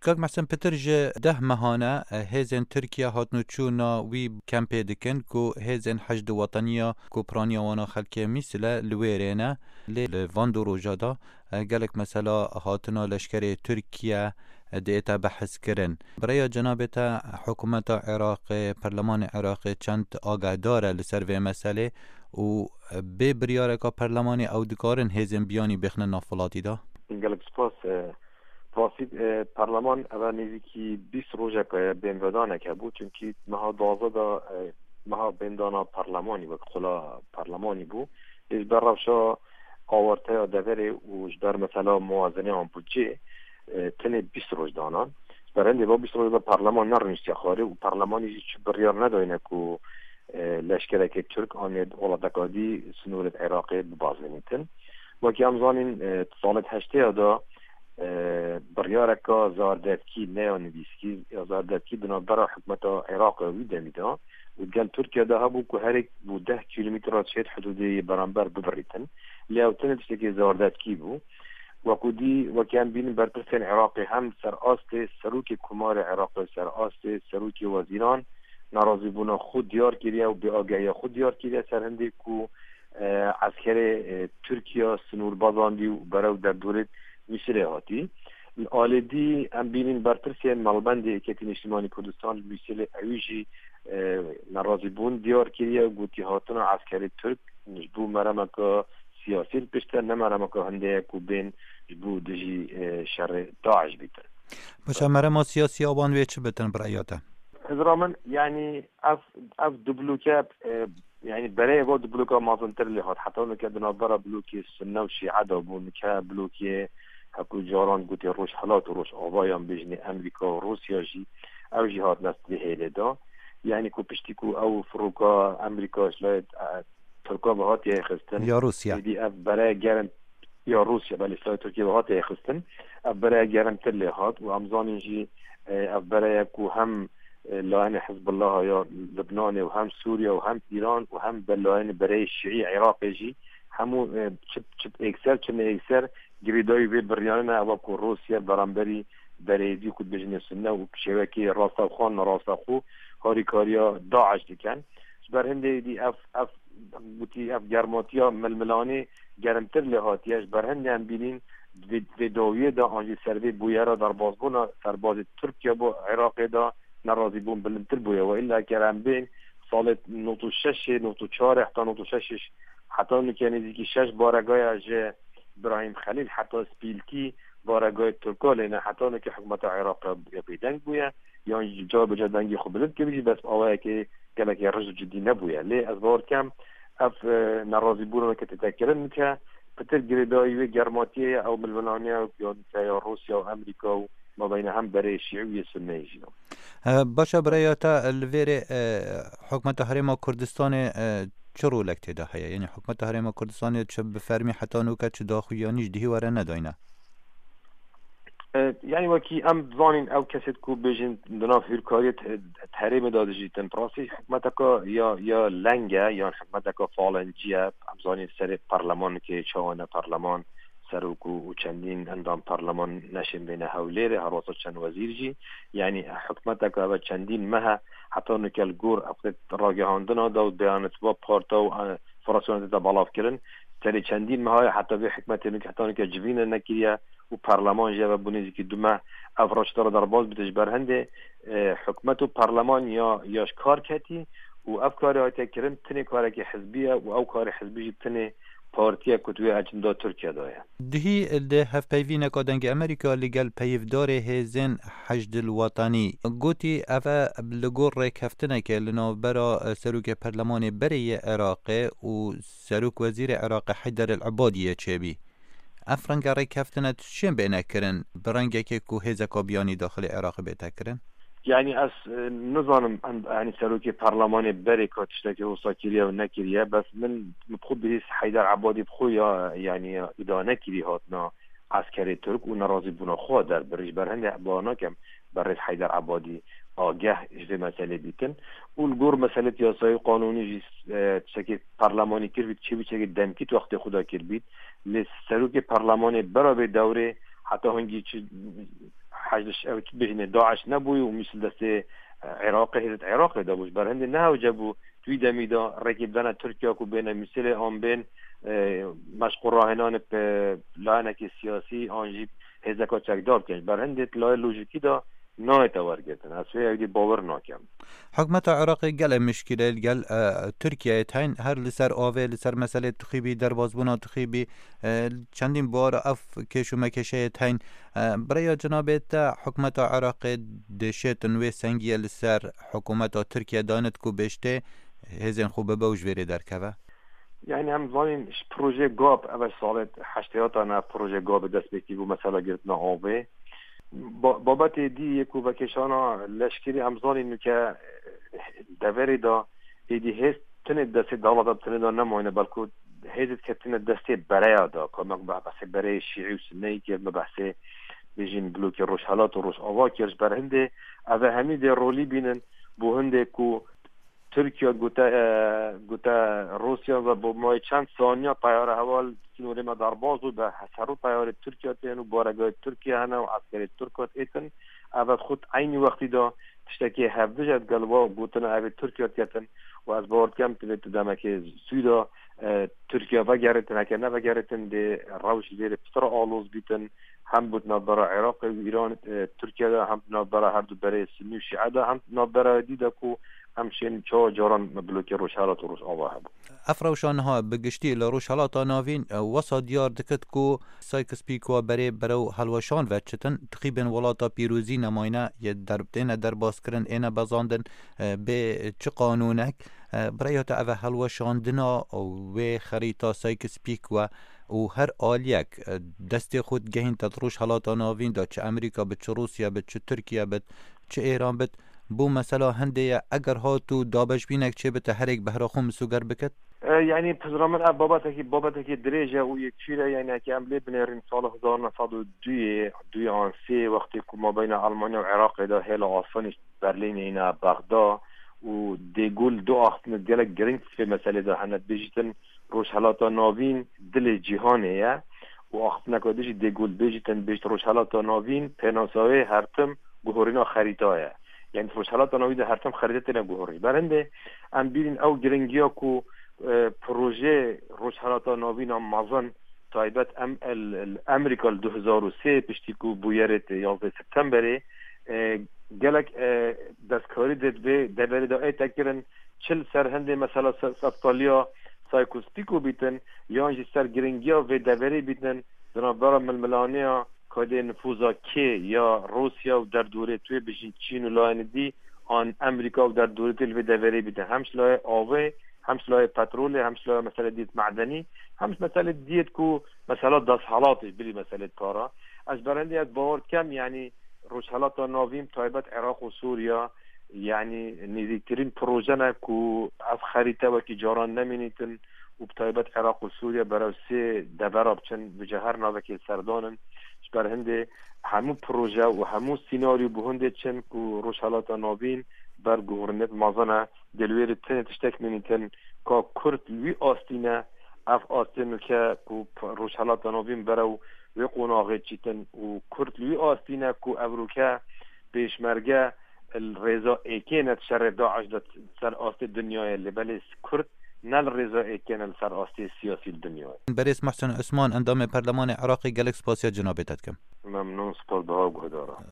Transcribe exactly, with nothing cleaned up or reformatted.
Kak Mehsen, pitir ji deh mehane, e, hêzên Tirkiye hatnûçûna wî kempê dikin ku hêzên Heşd Weteniya ku piraniya wana xelkê Mîsile li wê rê ne. Lê li van du roja de, e, gelek mesela hatina leşkerê Tirkiye, e, diête behs kirin. Bi rêya cenabê te, hikûmeta Iraqê, perlemanê Iraqê çend agahdar e li ser vê meselê û, e, bê biryareka perlemanê ew dikarin hêzên biyanî bêxine nav welatî de? Gelek spas. E, Rastî, e, perleman eve nêzîkî bîst rojeke bên vedanek hebû, çunkî meha duwazdeh de, e, meha bêndana perlemanî wek xula perlemanî bû. Lê ji ber rewşa awarteya deverê û ji ber mesela muwazeneyan budcê, e, tenê bîst roj danan. Ji ber hindê va bîst roj de perleman nerûniştiye xwarê û perlemanî jî çi biryar nedayne ku, e, leşkerekê Tirk an ê welateka dî sînorê Iraqê bibazênîtin. Wekî em zanîn, e, salê heştê ya de, e, biryareka zardevkî, ne ya nivîskî, ya zardevkî di navbera hikûmeta Iraqê wî demî de û gel Tirkiye de hebû ku herêk bû deh kîlometre çêt hidûdê yê beramber bibirîtin. Lê ew tenê tiştekê zardevkî bû. Wekû dî, wekî em bînin berpirsên Iraqê hem ser astê serokê Komarê Iraqê, ser astê serokê wezîran nerazîbûna xwe diyar kiriye û bêagehiya xwe diyar kiriye ser hindê ku, e, eskerê, e, Tirkiye sînor bazandî û berew derdorê Mîsilê hatî. Alê dî em bînin berpirsên Malbendê Yekîtî Niştimanî Kurdistan li Mîsilê ewî jî, e, nerazîbûn diyar kiriye û gotî hatina eskerê Tirk ji bo meremeke siyasî li pişt e, ne meremeke hindê ye ku bên ji bo dijî, e, şerê DAIŞ bîtin. Baş e, merema siyasî a wan wê çi bitin bi raya te? Hizra min, yanî ev, ev du bloke, e, yanî berê ev du bloka mezintir lê hat. Heta nike di navbera blokê Sunne û Şîe de bû, nike blokê hekû caran gotê Rojhilat û Rojava yan bêjinê Amerîka û Rûsya jî, ew jî hatine vê hêlê de. Yanî ku piştî ku ew firoka Amerîka ji layê, e, Tirka ve hatiye xistin. Ya Rûsya. Êdî ev bereye germ, ya Rûsya, belê, silaha Tirkiye ve hatiye xistin. Ev bereye germtir lê hat û em zanîn jî, e, ev bereye ku hem, e, layene Hizbullaha ya Libnanê û hem Sûriye û hem Îran û hem be layene bereyê Şîî Iraqê jî hemû, e, çi, çi êkser, çi ne êkser girêdayî vê biryarine ew e ku Rûsya beramberî bereyê dî ku dibêjinê Sunne û şêwekê rastexwe, nerastex û harîkariya DAIŞ dikin. Ji ber hindê dî ev, ev, gotî ev germatiya milmilanê germtir lê hatiye. Ji ber hindê em bînîn vê, vê dawiyê de an jî ser vê bûyera derbazbûna serbazê Tirkiye bo Iraqê de nerazîbûn bilindtir bûye. Ve îlla ger em bên salê nod û şeş, nod û çar heta nod û şeş, heta nike nêzîkî şeş baregaya ji Birahîm Xelîl heta Spîlkî baregayê Tirka lê ne. Heta nike hikûmeta Iraqê ya bêdeng bûye. Yan jî cara bêje dengê xwe bilind kiribî jî, bes awayekê gelekê riz û cidî nebûye. Lê ez bawer dikim, ev, e, nerazîbûna weke tête kirin nike pitir girêdayî wê germatiyê ye, ew milmilaniya ya nike ya Rûsya û Amerîka û mabeyna hem berê Şîî û yê Sunneyê jî ne. E, baş e, birêya te li vê rê, e, hikûmeta Herêma Kurdistanê, e, çi rolek tê de heye? Yanî hikûmeta Herêma Kurdistanê çi bi fermî heta nûke çi daxuyanî ji dihî were nedayne? E, yanî wekî em zanîn ew kesê ku bêjin di nav hûrkariyê te-, herêmê de dijîtin. Bi rastî hikûmeteka ya, ya leng e, yan hikûmeteka falencî ye. Em zanîn serê perlemanekê çawa ne perleman, serok û, û çendîn endam perleman neşên bêne Hewlêrê, herwasa çend wezîr jî. Yanî hikûmeteka eve çendîn meh e, heta nike li gor ev ragihandina da û beyanatva parta û, e, federasyona tête belav kirin. Serê çendîn meha ye heta vê hikûmetê nûk heta nike civîne nekiriye û perleman jî eve bû nêzîkî du meh ev raştara derbas bite ji ber hindê, e, hikûmet û perleman ya, ya ji kar ketî û ev karê hatiye kirin tinê karekî hizbî ye û ew karê hizbî jî tinê partiyek ku divê ecnda Tirkiye de ye. Dihî di hevpeyvîneka Dengê Amerîka li gel peyivdarê hêzên Heşdil Wetanî gotî, ev e li gor rêkeftinekê li navbera serokê perlemanê berê yê Iraqê û serok wezîrê Iraqê Heyder El Ebadiyê çêbî. Ev renge rêkeftine tu çiyên bêne kirin bi rengekê ku hêzeka biyanî daxilê Iraqê bête kirin? Yanî ez, e, nizanim em, yanî serokê perlemanê berê ka tiştekî wisa kiriye û nekiriye, bes min, min bi xwe bihîst Heyder Ebadî bi xwe ya, yanî îdane kirî hatina eskerê Tirk û nerazîbûna xwe derbirî. Ji ber hindê bawer nakim berêz Heyder Ebadî ageh ji vê meselê bîtin. Û li gor meselê yasayî û qanûnî jî, e, tiştekê perlemanî kiribît, çi bî tiştekê demkî di wextê xwe de kiribît. Lê serokê perlemanê bera vê dewrê heta hingî çi Hej li ş-, ew bêjinê DAIŞ nebûyî û Mûsil destê, e, Iraqê, hêzet Iraqê de bû. Ji ber hindê ne hewce bû, di wî demî de rêkê bidene Tirkiye ku bêne Mûsilê an bên, e, meşq û rahênanê bi layenekî siyasî an jî hêzeka çekdar bikin. Ji ber hindê di layê lojîkî de nayête wergirtin. Ez wê ewdî bawer nakim. Hikûmeta Iraqê gelek mişkîleyê li gel, e, Tirkiyeyê heyîn, her li ser avê, li ser meselê tixîbî, derbazbûna tixîbî, e, çendîn buhara ev kêş û mekeşeyê heyîn. E, bi rêya cenabê te, hikûmeta Iraqê dişêtin wê sengiyê li ser hikûmeta Tirkiye danit ku bêjtê hêzên xwe bibe û ji vêrê derkeve? Yani em zanîn ji projê GAP, ev e salê heştêyatan e projê GAP dest pê kir bû mesela girtina avê. Ba-, babetê dî yê ku vekêşana leşkerî em zanîn ke deverê de êdî hêz tinê destê dewleta tinê de nemayne, belku hêz ketine destê bereya de, ku me behsê bereyê şîî û sinneyî kir, me behsê bêjin blokê Rojhelat û Rojava kir. Ji ber hindê ev e hemî dê rolî bînin, bo hindê ku Tirkiye gote, e, gote Rûsya ve bo mayê çend saniya teyare heval sînorê me derbas û be heserû teyarê Tirkiye tên û baregahê Tirkiye hene û eskerê Tirk hat êtin. Ev et xut eynî wextî de tiştekê hevdij et gel wa gotina ev ê Tirkiye ketin û ez bawer dikem tu vê tu demekê sû de, e, Tirkiye vegerêtin, heke nevegerêtin dê rewş li vêrê pitir aloz bîtin. Hem bo di navbera Iraqê û Îran, e, Tirkiye de, hem di navbera her du berê Sinnî û Şîe de, hem di navbera dî de ku em şên çawa caran blokê Rojhelat û Rojava hebû. Ev rewşa niha bi giştî li Rojhelata Navîn, e, wesa diyar dikit ku Sykes-Picot berê berew hilweşan ve çitin, tixîbên Welata Pîrozî nemayne, yê der-, têne derbaskirin, êne bezandin, e, bê çi qanûnek. E, bi rêya te ev e hilweşandina wê xerîta Sykes-Picot û her aliyek, e, destê xwe digehînte di Rojhelata Navîn de, çi Amerîka bit, çi Rûsya bit, çi Tirkiye bit, çi Êran bit, bo mesela hindê ye, eger hat û dabeşbînek çêbite, herêk behra xwe misoger bikit? E, yani, pizra min ev babetekî, babetekî dirêj e û yekî çî ye, yani, heke em lê binêrin sala hezar neh sed û duyê, duyê an sê, wextê ku mabeyna Almanya û Iraqê de hêla asanî Berlînê îna Bexda û De Gaulle du axiftinê gelek giring di vê meselê de hene. Dibêjîtin Rojhelata Navîn dilê cîhanê ye û axiftineka din jî De Gaulle dibêjîtin, dibêjit Rojhelata Navîn pênasa wê her tim guhorîna xerîta ye. Yani Rojhelata Navîn de her tim xerîte têne guhorî. Ber hindê em bîrîn ew giringiya ku, e, projeyê Rojhelata Navîn a mezin taybet em el, el Amerîka li du hezar û sê piştî ku bûyerê tê yazdeh Septemberê, e, gelek, e, destkarî dê di vê deverê de ête kirin, çi li ser hindê mesela se-, seftaliya Sykes-Picot bîtin, yan jî ser giringiya vê deverê bîtin, di navbera milmilaniya kadê nifûza kê ya Rûsya û derdorê tu yê bijîn Çîn û layene dî an Amerîka û derdorê tu yê li vê deverê bîtin. Hem ji layê avê, hem ji layê petrolê, hem ji layê meselê diyet medenî, hem ji meselê diyet ku mesela desthilatê bilî meselê para. Ez berendê ez bawer dikem, yani Rojhelata Navîn, taybet Iraq û Sûriya, yani nêzîktirîn proje ne ku ev xerîte wekî caran nemînîtin û bi taybet Iraq û Sûriya berew sê devera biçin, bi cihar navekê serdan in. Ji ber hindê hemû proje û hemû sînaryo bi hindê çin ku Rojhelata Navîn ber guhorînet mezin e, dê li wê de tenê tiştek mînîtin ka Kurd li wî astî ne, ev astê nûke ku p-, Rojhelata Navîn berew wê qonaxê çîtin û Kurd li wî astî ne ku evroke pêşmerge li rêza êkê ne di şerê DAIŞ de ser astê dinyayê, lê belê Kurd ne li rêza êkê ne li ser astê siyasî li dinyayê. Berêz Muhsin Usman, endamê Perlemanê Iraqê, gelek spasiya cenabê te dikim. Memnûn, spas, biha guhdara.